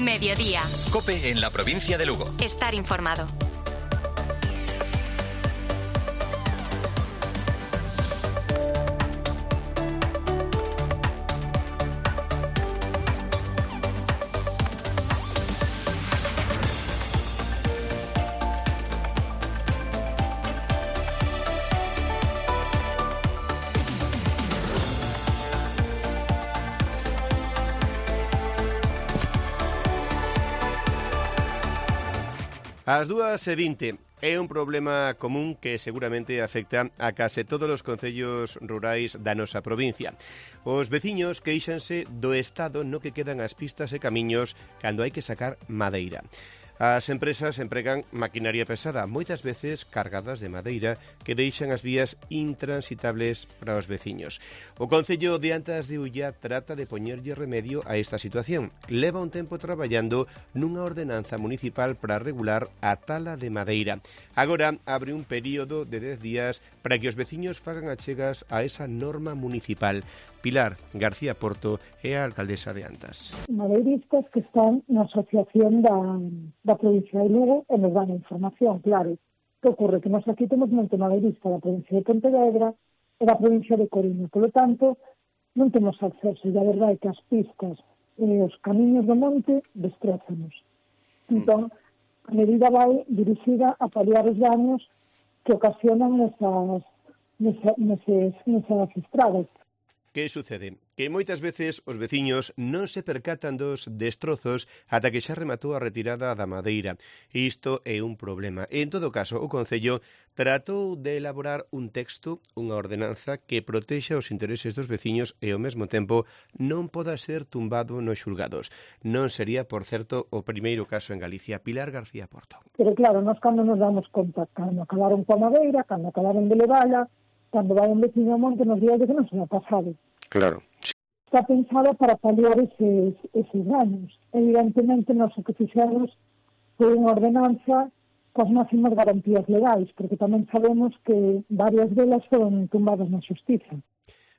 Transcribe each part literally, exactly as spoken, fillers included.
Mediodía. COPE en la provincia de Lugo. Estar informado. As dúas e vinte é un problema común que seguramente afecta a case todos os concellos rurais da nosa provincia. Os veciños queixanse do estado no que quedan as pistas e camiños cando hai que sacar madeira. As empresas empregan maquinaria pesada, moitas veces cargadas de madeira, que deixan as vías intransitables para os veciños. O Concello de Antas de Ulla trata de poñerlle remedio a esta situación. Leva un tempo traballando nunha ordenanza municipal para regular a tala de madeira. Agora abre un período de dez días para que os veciños fagan achegas a esa norma municipal. Pilar García Porto é a alcaldesa de Antas. Madeiristas que están na asociación da, da provincia de Lugo e nos dan a información, claro. Que ocorre? Que nós aquí temos monte madeirista da provincia de Pontevedra e da provincia de Coruña. Por lo tanto, non temos acceso. E a verdade é que as pistas e os camiños do monte destrózanos. Entón, a medida vai dirigida a paliar os daños que ocasionan nesas, nesas, nesas, nesas estradas. Que sucede? Que moitas veces os veciños non se percatan dos destrozos ata que xa rematou a retirada da madeira. Isto é un problema. En todo caso, o Concello tratou de elaborar un texto, unha ordenanza que protexa os intereses dos veciños e ao mesmo tempo non poda ser tumbado nos xulgados. Non sería, por certo, o primeiro caso en Galicia. Pilar García Porto. Pero claro, nós cando nos damos conta, cando acabaron coa madeira, cando acabaron de levala, cando vai un veciño ao monte nos días de que non se ha pasado. Claro. Está pensada para paliar eses, eses daños. Evidentemente, nós o que fixemos foi unha ordenanza coas máximas garantías legais, porque tamén sabemos que varias delas foron tumbadas na xustiza.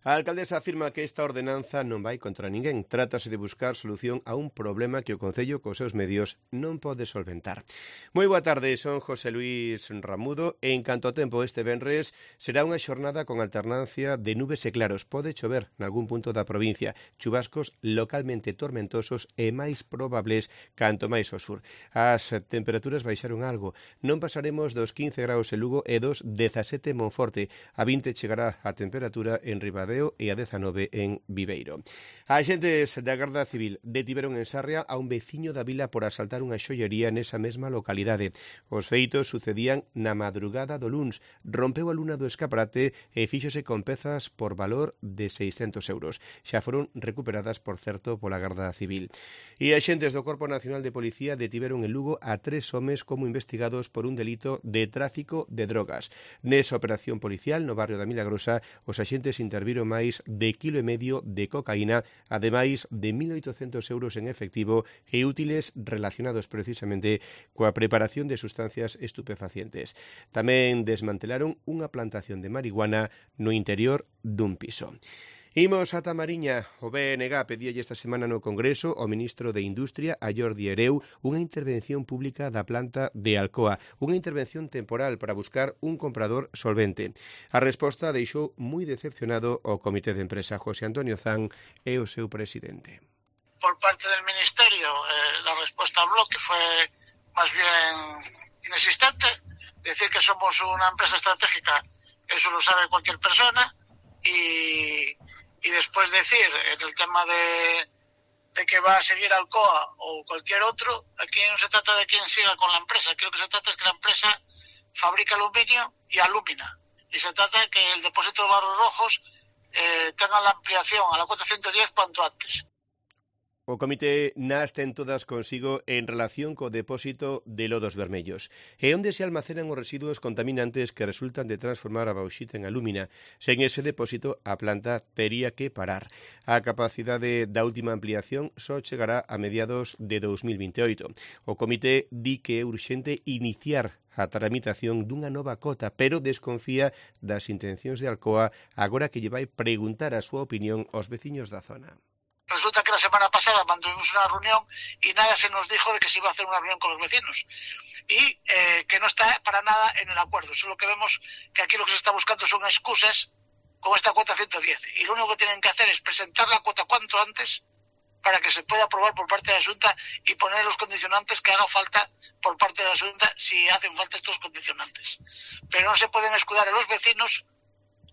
A alcaldesa afirma que esta ordenanza non vai contra ninguén. Trátase de buscar solución a un problema que o Concello, cos seus medios, non pode solventar. Moi boa tarde, son José Luís Ramudo. En canto ao tempo, este venres será unha xornada con alternancia de nubes e claros. Pode chover nalgún punto da provincia. Chubascos localmente tormentosos e máis probables canto máis ao sur. As temperaturas baixaron algo. Non pasaremos dos quince graus en Lugo e dos dezasete en Monforte. A vinte chegará a temperatura en Ribadeo e a dezanove en Viveiro. A axentes da Garda Civil detiveron en Sarria a un veciño da vila por asaltar unha xoiería nesa mesma localidade. Os feitos sucedían na madrugada do luns. Rompeu a luna do escaparate e fíxose con pezas por valor de seiscentos euros. Xa foron recuperadas, por certo, pola Garda Civil. E axentes do Corpo Nacional de Policía detiveron en Lugo a tres homes como investigados por un delito de tráfico de drogas. Nesa operación policial no barrio da Milagrosa, os axentes interviron máis de quilo e medio de cocaína, ademais de mil oitocentos euros en efectivo e útiles relacionados precisamente coa preparación de sustancias estupefacientes. Tamén desmantelaron unha plantación de marihuana no interior dun piso. Imos ata Mariña. O B N G pedíalle esta semana no Congreso ao ministro de Industria, a Jordi Hereu, unha intervención pública da planta de Alcoa, unha intervención temporal para buscar un comprador solvente. A resposta deixou moi decepcionado o Comité de Empresa. José Antonio Zan é o seu presidente. Por parte del Ministerio, eh, la respuesta al bloque fue más bien inexistente. Decir que somos una empresa estratégica, eso lo sabe cualquier persona, y... Y después decir, en el tema de, de que va a seguir Alcoa o cualquier otro, aquí no se trata de quién siga con la empresa. Aquí lo que se trata es que la empresa fabrica aluminio y alúmina. Y se trata de que el depósito de Barros Rojos eh, tenga la ampliación a la cuota ciento diez cuanto antes. O comité nas ten todas consigo en relación co depósito de lodos vermellos. E onde se almacenan os residuos contaminantes que resultan de transformar a bauxita en alúmina. Sen ese depósito, a planta tería que parar. A capacidade da última ampliación só chegará a mediados de dos mil veintioito. O comité di que é urxente iniciar a tramitación dunha nova cota, pero desconfía das intencións de Alcoa agora que lle vai preguntar a súa opinión aos veciños da zona. Resulta que la semana pasada mantuvimos una reunión y nada se nos dijo de que se iba a hacer una reunión con los vecinos y eh, que no está para nada en el acuerdo. Solo que vemos que aquí lo que se está buscando son excusas con esta cuota ciento diez y lo único que tienen que hacer es presentar la cuota cuanto antes para que se pueda aprobar por parte de la Xunta y poner los condicionantes que haga falta por parte de la Xunta si hacen falta estos condicionantes. Pero no se pueden escudar a los vecinos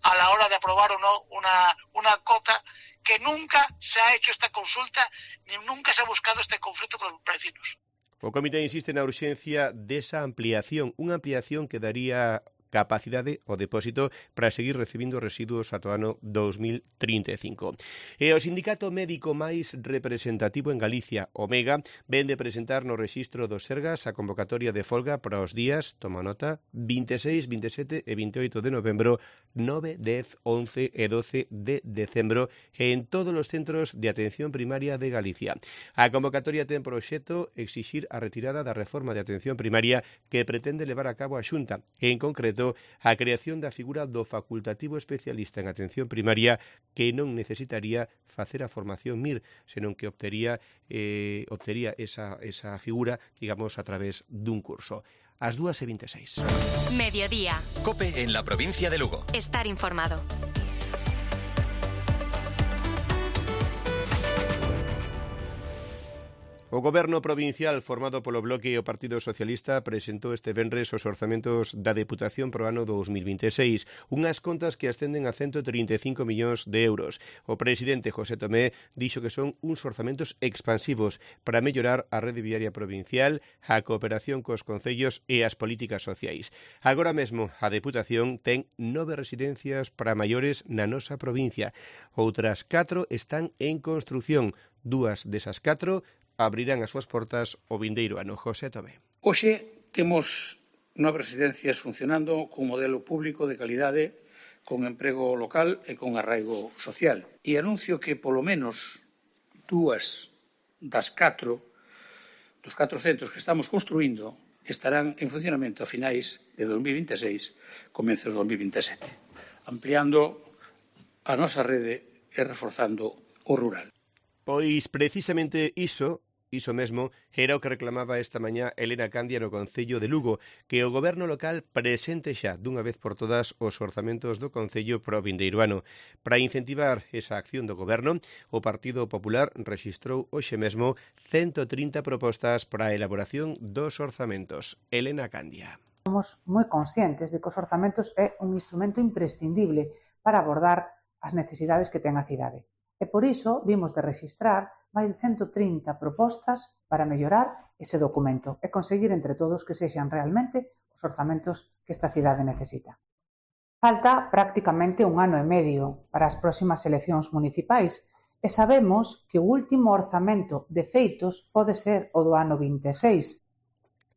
a la hora de aprobar o no una, una cota que nunca se ha hecho esta consulta ni nunca se ha buscado este conflicto con los vecinos. O comité insiste na urxencia desa ampliación, unha ampliación que daría capacidade o depósito para seguir recibindo residuos ata o ano dos mil trinta e cinco. E o sindicato médico máis representativo en Galicia, Omega, ven de presentar no rexistro dos Sergas a convocatoria de folga para os días, toma nota, vinte e seis, vinte e sete e vinte e oito de novembro, nove, dez, once e doce de decembro en todos os centros de atención primaria de Galicia. A convocatoria ten por obxecto exixir a retirada da reforma de atención primaria que pretende levar a cabo a Xunta, e en concreto a creación da figura do facultativo especialista en atención primaria que non necesitaría facer a formación M I R, senón que obtería, eh, obtería esa, esa figura, digamos, a través dun curso. As dúas e vinte e seis. Mediodía. COPE en la provincia de Lugo. Estar informado. O Goberno provincial formado polo Bloque e o Partido Socialista presentou este venres os orzamentos da Deputación pro ano dos mil vinte e seis, unhas contas que ascenden a ciento trinta e cinco millóns de euros. O presidente José Tomé dixo que son uns orzamentos expansivos para mellorar a rede viaria provincial, a cooperación cos concellos e as políticas sociais. Agora mesmo a Deputación ten nove residencias para maiores na nosa provincia. Outras catro están en construción. Dúas desas catro abrirán as súas portas o vindeiro ano. José Tomé. Hoxe temos nove residencias funcionando con modelo público de calidade, con emprego local e con arraigo social. E anuncio que polo menos dúas das catro, dos catro centros que estamos construindo, estarán en funcionamento a finais de dos mil vinte e seis, comenzos de dos mil vinte e sete, ampliando a nosa rede e reforzando o rural. Pois precisamente iso, iso mesmo, era o que reclamaba esta mañá Elena Candia no Concello de Lugo, que o Goberno local presente xa dunha vez por todas os orzamentos do Concello pro vindeiro ano. Para incentivar esa acción do Goberno, o Partido Popular rexistrou hoxe mesmo ciento trinta propostas para a elaboración dos orzamentos. Elena Candia. Somos moi conscientes de que os orzamentos é un instrumento imprescindible para abordar as necesidades que ten a cidade. E por iso vimos de rexistrar máis de ciento trinta propostas para mellorar ese documento e conseguir entre todos que sexan realmente os orzamentos que esta cidade necesita. Falta prácticamente un ano e medio para as próximas eleccións municipais e sabemos que o último orzamento de feitos pode ser o do ano vinte e seis.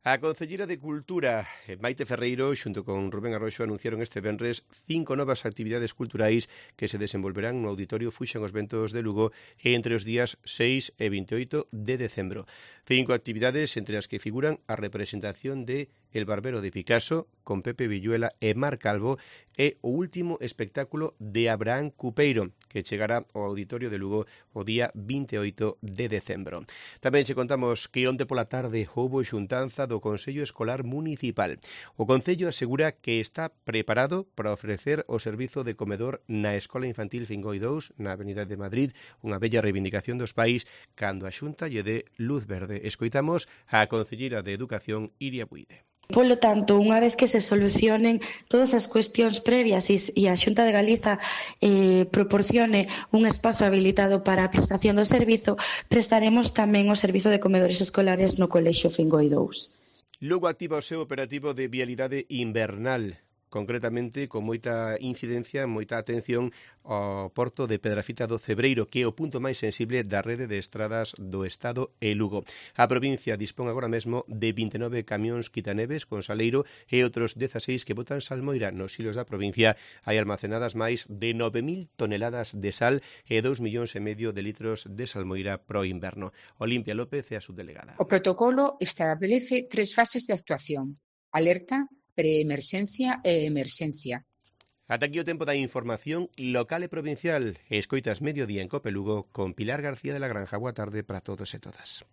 A Concelleira de Cultura, Maite Ferreiro, xunto con Rubén Arroxo, anunciaron este venres cinco novas actividades culturais que se desenvolverán no Auditorio Fuxan os Ventos de Lugo entre os días seis e vinte e oito de decembro. Cinco actividades entre as que figuran a representación de El Barbero de Picasso, con Pepe Villuela e Mar Calvo, e o último espectáculo de Abraham Cupeiro, que chegará ao Auditorio de Lugo o día vinte e oito de decembro. Tamén che contamos que onte pola tarde houbo xuntanza do Consello Escolar Municipal. O Concello asegura que está preparado para ofrecer o servizo de comedor na Escola Infantil Fingoi dous, na Avenida de Madrid, unha bella reivindicación dos pais, cando a Xunta lle dé luz verde. Escoitamos a concelleira de Educación, Iria Buide. Polo tanto, unha vez que se solucionen todas as cuestións previas e a Xunta de Galiza eh, proporcione un espazo habilitado para a prestación do servizo, prestaremos tamén o servizo de comedores escolares no Colexio Fingoi dous. Lugo activa o seu operativo de vialidade invernal, concretamente con moita incidencia, moita atención ao porto de Pedrafita do Cebreiro, que é o punto máis sensible da rede de estradas do Estado e Lugo. A provincia dispón agora mesmo de vinte e nove camións quitaneves con saleiro e outros dezaseis que botan salmoira. Nos silos da provincia hai almacenadas máis de nove mil toneladas de sal e dous millóns e medio de litros de salmoira pro inverno. Olimpia López é a subdelegada. O protocolo establece tres fases de actuación: alerta, preemerxencia e emerxencia. Ata aquí o tempo da información local e provincial. Escoitas Mediodía en Cope Lugo con Pilar García de la Granja. Boa tarde para todos e todas.